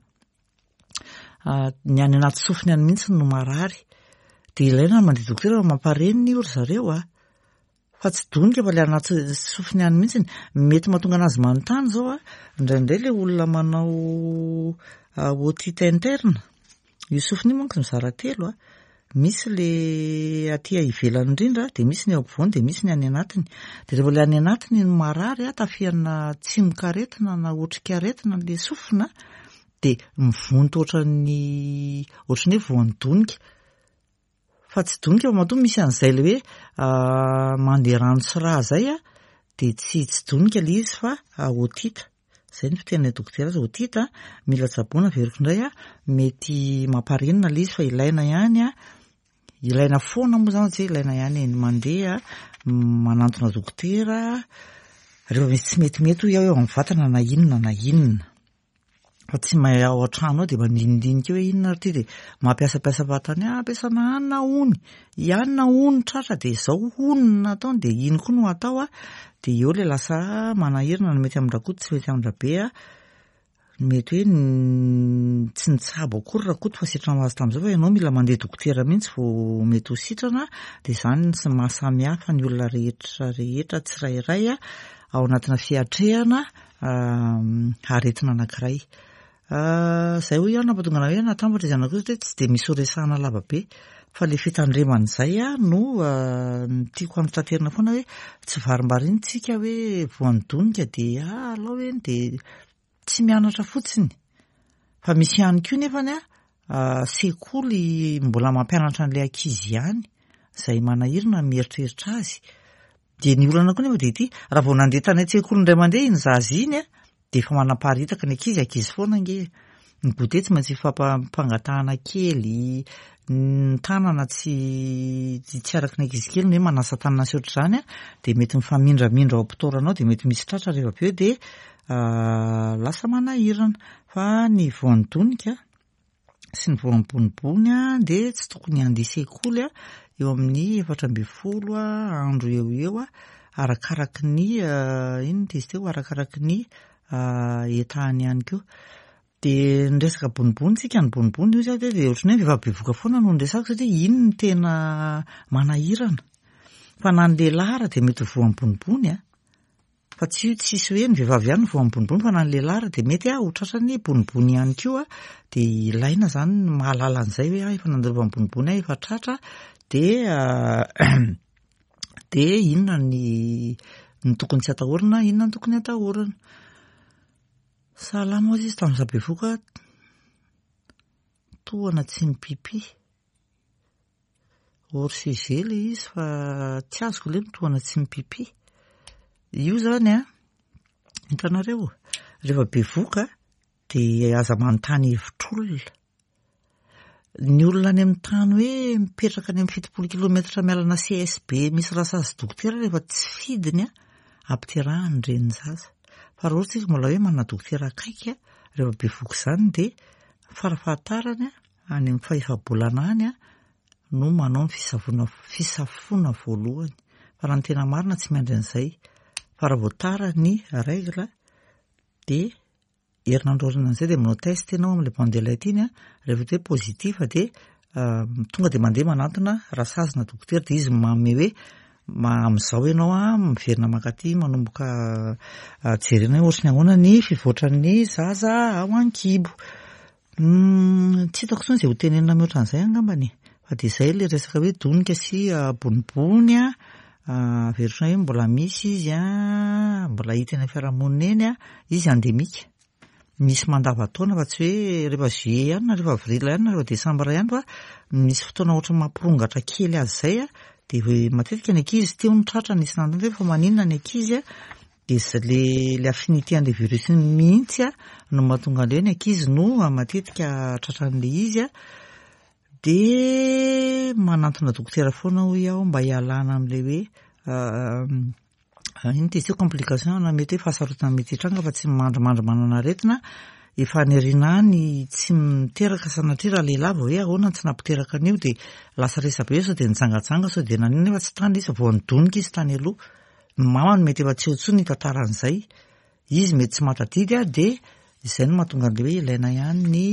Ny any anaty sofiny any mihitsy no marary. De ilaina ny mandeha dokotera fa mamparenina io ry zareo a. Fa tsy donika fa le anaty sofiny any mihitsy. Mety mahatonga anazy manontany zao a, indraindray le olona manao otite interne, io sofina io manko mizara telo a. Misy le aty ivelany indrindra, de misy ny eo ampovoany, de misy ny any anatiny. De rehefa le any anatiny no marary a, tafihana tsimokaretina na otrikaretina le sofina, de mivonto ohatran'ny ohatran'ny hoe voan'ny donika. Fa tsy donika fa matoa misy an'izay le hoe mandeha rano sy rà zay a, de tsy tsy donika le izy fa otite. Zay ny fiteninay dokotera azy, otite mila tsaboina. Averiko indray a, mety mamparenina le izy fa ilaina ihany a, ilaina foana moa zany, tsy hoe ilaina ihany ny mandeha manantona dokotera rehefa misy tsy metimety hoy aho eo amin'ny vatana na inona na inona. Fa tsy mahay ao an-trano ao de mandinidinika hoe inona ary ty, de mampiasampiasa fahatany, ampiasana hanina hony, ianina hono tratra, de zao hono no nataony, de iny koa no atao a, de eo le lasa manahirana no mety amin-dRakoto tsy mety amin-dRabe a. Mety hoe tsy nitsabo akory Rakoto fa sitrana ho azy tamin'izao, fa ianao mila mandeha dokotera mihitsy vao mety ho sitrana. De zany ny mahasamihafa ny olona rehetra rehetra tsirairay a ao anatina fiatrehana aretina anankiray. Zay hoy aho nampatonga ana hoe natambatra izy anakiroa satria tsy de misy ho resahana lava be, fa le fitandremana izay a no tiako hanitaterina foana, hoe tsy varimbarina tsika hoe voan'ny donika de alao eny, de tsy mianatra fotsiny. Fa misy ihany koa nefany a sekoly mbola mampianatra an'ilay ankizy ihany izay manahirana mieritreritra azy. De ny olana koa nefa de ity, raha vao nandeha tany an-tsekoly indray mandeha iny zaza iny a, de efa manaparitaka ny ankizy, ankizy foana ange. Ny goûter tsy maintsy ifampangatahana kely, ny tanana tsy tsy araky ny ankizy kely ny hoe manasa tanana sy ohatr'izany a, de mety mifamindramindra ao am-pitoerana ao, de mety misy tratra rehefa avy eo, de lasa manahirana. Fa ny voan'ny donika sy ny voan'ny bonibony a, de tsy tokony handeha sekoly a eo amin'ny efatra ambin'ny folo andro eo eo a, arakaraky ny inona ty izy teo, arakaraky ny etahany ihany koa. De ny resaka bonibony tsika, ny bonibony io zany de ohatran'ny hoe vehivavy bevoka foana no niresahako satria iny no tena manahirana. Fa na ny lehilahy ara de mety ho voan'ny bonibony a. Fa tsy tsisy hoe ny vehivavy ihany no voan'ny bonibony, fa na ny lehilahy ara de mety ho tratran'ny bonibony ihany koa. De ilaina zany ny mahalala an'izay hoe ah efa nandalovan'ny bonibony aho, efa tratra, de de inona ny ny tokony tsy atahorana, inona ny tokony atahorana. Salama hozy izy, tamin'izaho bevoka tohana tsy mipipi. Hors sujet ilay izy fa tsy azoko ilay mitohana tsy mipipi. Io izany an, hitanareo, rehefa bevoka dia aza manontany hevitr'olona. Ny olona any amin'ny tany hoe mipetraka any amin'ny fitopolo kilometatra miala ana C S B misy rasazy dokotera rehefa tsy fidiny an, ampiterahany ny renin'ny zaza. Fa raha ohatra isika mbola hoe manana dokotera akaiky an, rehefa bevoka izany dia farafahatarany an, any amin'ny fahefa-bolana any an, no manao ny fisavoana, fisafoana voalohany. Fa raha ny tena marina tsy miandry an'izay. Fa raha vao tara ny règle dia herinandro aorianan'izay dia manao test ianao amin'ilay bandelette iny an, rehefa hoe positif dia tonga dia mandeha manantona rasazy na dokotera dia izy manome hoe amin'izao ianao an, miverina mankaty manomboka jerena hoe ohatry ny ahoana ny fivoatran'ny zaza ao an-kibo. Tsy hitako intsony izay ho tenenina mihoatra an'izay angambany. Fa dia izay ilay resaka hoe donika sy bonibony an, averiko hoe mbola misy izy an, mbola hita eny amin'ny fiarahamonina eny an, izy endémique. Misy mandavantaona fa tsy hoe rehefa juillet ihany na rehefa avril ihany na rehefa décembre ihany fa misy fotoana ohatry ny mampirongatra kely azy izay an, dia matetika ny ankizy teo no tratra nisy nanontany hoe fa maninona ny ankizy an, dia le le affinité an'ilay virus mihitsy an no mahatonga an'ilay hoe ny ankizy no matetika tratran'ilay izy an. Dia manantona dokotera foana hoy aho mba hialana amin'ilay hoe inona ty izy io complication na mety hoe fahasarotana mety hitranga fa tsy mandrimandry manana aretina. Efa any aoriana any tsy miteraka sanatria raha lehilahy vao hoe ahoana no tsy nampiteraka an'io dia lasa resabe eo sao dia nijangajanga sao dia naninona nefa tsy tany izy vao nidonika izy tany aloha. Ny mamany mety efa tsy eo intsony ny tantaran'izay. Izy mety tsy mahatadidy an, dia izay no mahatonga an'ilay hoe ilaina ihany ny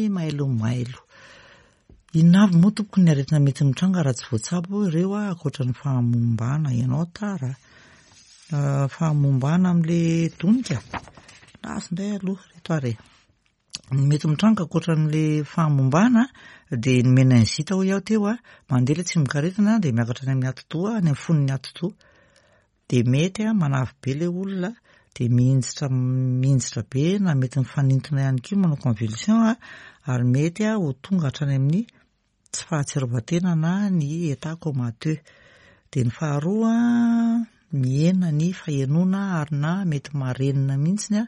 mailomailo. Inona avy moa tompoko ny aretina mety mitranga raha tsy voatsabo ireo an, ankoatra ny fahamombana ianao tara. Fahamombana amin'ilay donika. Lasa indray aloha reto ary. Ny mety mitranga ankoatra an'ilay fahamombana dia ny meningite hoy aho teo an, mandeha ilay tsimokaretina dia miakatra any amin'ny atidoha, any amin'ny fon'ny atidoha. Dia mety an, manavy be ilay olona, dia mihinjitra, mihinjitra be na mety mifanintona ihany koa manao convulsion an, ary mety an ho tonga hatrany amin'ny tsy fahatsiarovan-tena na ny état comateux. Dia ny faharoa mihena ny fahenoana ary na mety marenina mihitsy an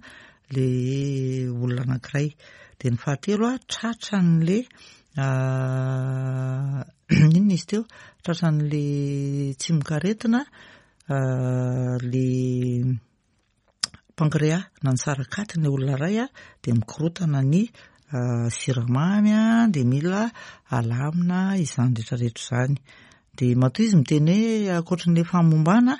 ilay olona anankiray. Dia ny fahatelo an, tratran'ilay inona izy teo? Tratran'ilay tsimokaretina ilay pancréas na ny sarakaty ny olona iray an, dia mikorotana ny siramamy an, dia mila alamina izany rehetrarehetra izany. Dia matoa izy miteny hoe ankoatran'ilay fahamombana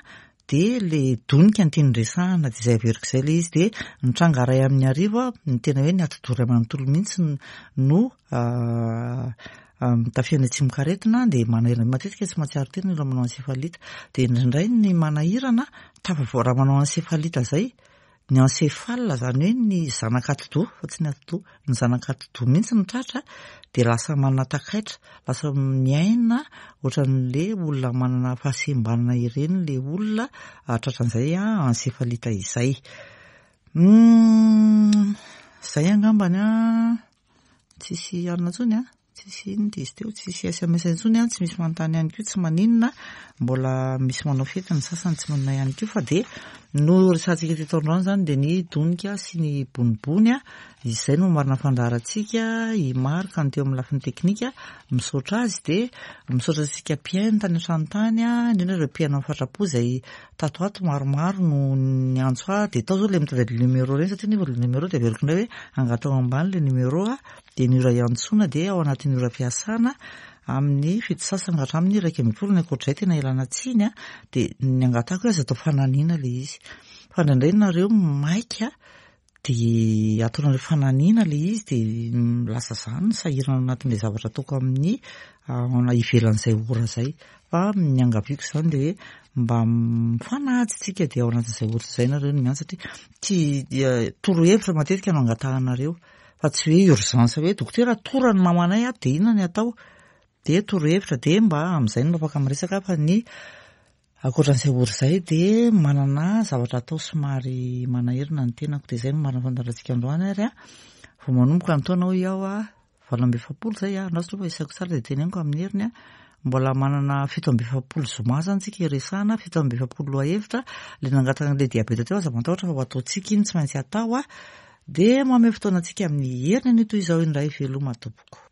dia ilay donika no tiany resahana, dia izay averiko izay ilay izy. Dia mitranga iray amin'ny arivo an, ny tena hoe ny atidoha iray manontolo mihitsy no mitafiana tsimokaretina, dia manahirana matetika tsy mahatsiaro tena ny olona manao encéphalite. Dia indraindray ny manahirana tafavoa raha manao encéphalite izay, ny encéphale izany hoe ny zanak'atidoha fa tsy ny atidoha, ny zanak'atidoha mihitsy no tratra, dia lasa manana takaitra, lasa miaina ohatran'ilay olona manana fahasembanana ireny ilay olona tratran'izay encéphalite izay. Izay angambany an, tsisy alina intsony an, tsisy inona izy teo, tsisy S M S intsony an, tsy misy manontany ihany koa, tsy maninona, mbola misy manao fety ny sasany tsy maninona ihany koa, fa dia no resahantsika teto androany izany dia ny donika sy ny bonibony an, izay no marina fandaharantsika. I Marc no teo amin'ny lafiny teknika, misaotra azy, dia misaotra antsika mpihaino tany an-trano tany an, indrindra ireo mpihaino amin'ny fatrapo izay tato ato maromaro no niantso ahy, dia tao izao ilay mitady numéro ireny, satria nefa ilay numéro dia averiko indray hoe angatao ambany ilay numéro an, dia ny ora iantsoana dia ao anatin'ny ora fiasana amin'ny fito sasany ka hatramin'ny iraika ambin'ny folo, ny ankoatr'izay tena ilana tsiny an, dia ny angatako hoe aza atao fananiana ilay izy, fa indraindray nareo maika dia ataonareo fananiana ilay izy, dia lasa izany ny sahirana anatin'ilay zavatra ataoko amin'ny ivelan'izay ora izay, fa ny angaviako izany dia hoe mba mifanaja isika dia ao anatin'izay ora izay nareo no miantso, satria tsy torohevitra matetika no angatahanareo, fa tsy hoe urgence hoe dokotera tora ny mamanay ato dia inona ny atao, dia torohevitra dia mba amin'izay no afaka miresaka. Fa ny ankoatran'izay ora izay dia manana zavatra atao somary manahirana ny tenako, dia izay no marina fandaharantsika androany ary an, vao manomboka ny taona hoy aho an, valo amby efapolo izay an, andraso aloha fa isaiko tsara dia teneniko amin'ny heriny an, Mbola manana fito amby efapolo zoma zany tsika iresahana, fito amby efapolo lohahevitra. Le nangataka an'le diabeta teo, aza matahotra fa ho ataontsika iny, tsy maintsy atao a. Dia manome fotoana antsika amin'ny heriny anio toy izao indray. Veloma tompoko.